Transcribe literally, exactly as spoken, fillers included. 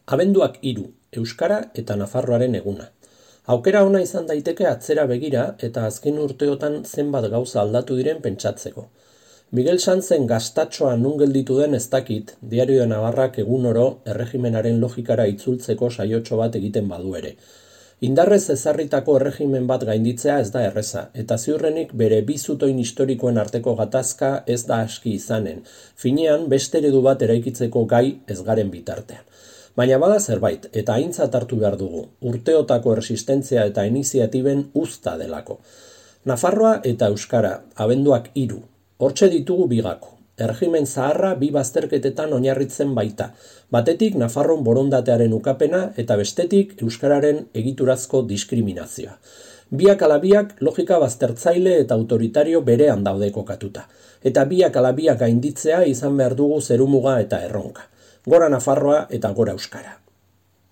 Abenduak hiru, Euskara eta Nafarroaren eguna. Aukera ona izan daiteke atzera begira eta azken urteotan zenbat gauza aldatu diren pentsatzeko. Miguel Sanzen gaztatxoa nun gelditu den ez dakit, Diario de Navarrak egun oro erregimenaren logikara itzultzeko saiotxo bat egiten badu ere. Indarrez ezarritako erregimen bat gainditzea ez da erreza, eta ziurrenik bere bi zutoin historikoen arteko gatazka ez da aski izanen, finean beste eredu bat eraikitzeko gai ez garen bitartean. Baina bada zerbait, eta aintzat hartu behar dugu, urteotako erresistentzia eta iniziatiben uzta delako. Nafarroa eta Euskara, abenduak hiru, hortxe ditugu bigako. Erregimen zaharra bi bazterketetan oinarritzen baita, batetik Nafarron borondatearen ukapena eta bestetik Euskararen egiturazko diskriminazioa. Biak alabiak logika baztertzaile eta autoritario berean daude kokatuta, eta biak alabiak gainditzea izan behar dugu zerumuga eta erronka. Gora Nafarroa eta gora Euskara.